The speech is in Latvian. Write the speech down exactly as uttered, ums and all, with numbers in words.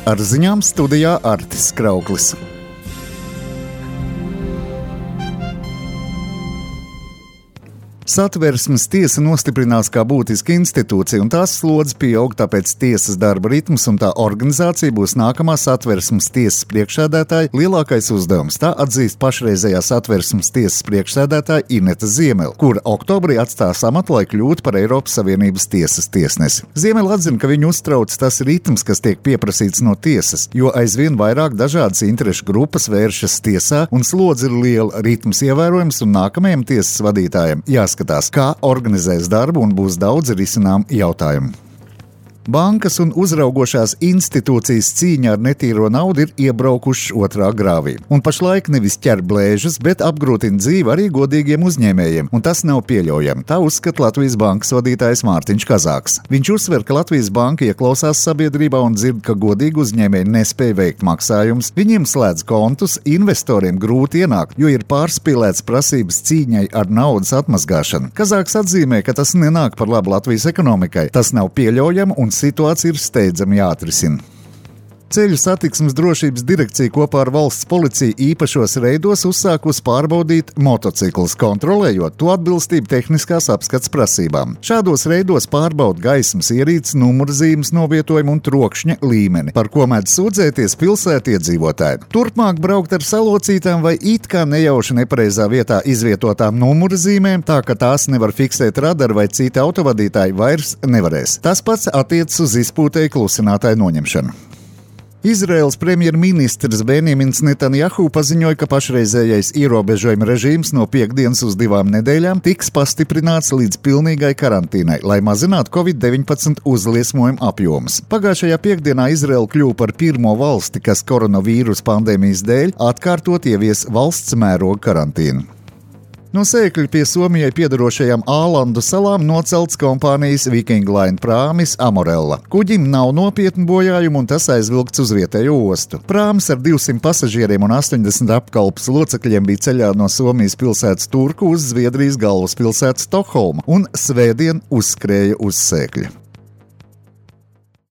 Ar ziņām studijā Artis Krauklis. Satversmes tiesa nostiprinās kā būtiska institūcija, un tās slodze pieaug, tāpēc tiesas darba ritms un tā organizācija būs nākamā Satversmes tiesas priekšsēdētāja lielākais uzdevums. Tā atzīst pašreizējā Satversmes tiesas priekšsēdētāja Ineta Ziemele, kura oktobrī atstās amatu, lai kļūtu par Eiropas Savienības tiesas tiesnesi. Ziemele atzina, ka viņu uztrauc tas ritms, kas tiek pieprasīts no tiesas, jo aizvien vairāk dažādas interešu grupas vēršas tiesā, un slodze ir liela, ritms ievērojams, un nākamajam tiesas vadītājam jāskatās, kā organizēs darbu, un būs daudz risinām jautājumu. Bankas un uzraugošās institūcijas cīņā ar netīro naudu ir iebraukušas otrā grāvī. Un pašlaik nevis ķer blēžas, bet apgrūtina dzīvi arī godīgiem uzņēmējiem, un tas nav pieļaujami. Tā uzskata Latvijas bankas vadītājs Mārtiņš Kazāks. Viņš uzsver, ka Latvijas banka ieklausās sabiedrībā un dzird, ka godīgi uzņēmēji nespēja veikt maksājumus, viņiem slēdz kontus, investoriem grūti ienākt, jo ir pārspīlēts prasības cīņai ar naudas atmazgāšanu. Kazāks atzīmē, ka tas nenāk par labu Latvijas ekonomikai. Tas nav pieļaujami un situācija ir steidzami jāatrisina. Ceļu satiksmes drošības direkcija kopā ar valsts policiju īpašos reidos uzsākusi pārbaudīt motociklus, kontrolējot to atbilstību tehniskās apskats prasībām. Šādos reidos pārbauda gaismas ierīces, numurzīmes novietojumu un trokšņa līmeni, par ko mēdz sūdzēties pilsētu iedzīvotāji. Turpmāk braukt ar salocītām vai it kā nejauši nepareizā vietā izvietotām numurzīmēm, tā ka tās nevar fiksēt radaru vai citi autovadītāji vairs nevarēs. Tas pats attiecas uz izpūtēju klusinātāju noņemšanu. Izraēlas premjerministrs Benjamins Netanjahu paziņoja, ka pašreizējais ierobežojuma režīms no piekdienas uz divām nedēļām tiks pastiprināts līdz pilnīgai karantīnai, lai mazinātu covid deviņpadsmit uzliesmojumu apjomus. Pagājušajā piekdienā Izraēla kļuva par pirmo valsti, kas koronavīrus pandēmijas dēļ atkārtot ievies valsts mēroga karantīnu. No Sēkļa pie Somijai piedarošajām Ālandu salām nocelts kompānijas Viking Line prāmis Amorella. Kuģim nav nopietnu bojājumu, un tas aizvilkts uz vietējo ostu. Prāmis ar divsimt pasažieriem un astoņdesmit apkalpes locekļiem bija ceļā no Somijas pilsētas Turku uz Zviedrijas galvaspilsētu Stokholmu un svētdien uzskrēja uz Sēkļa.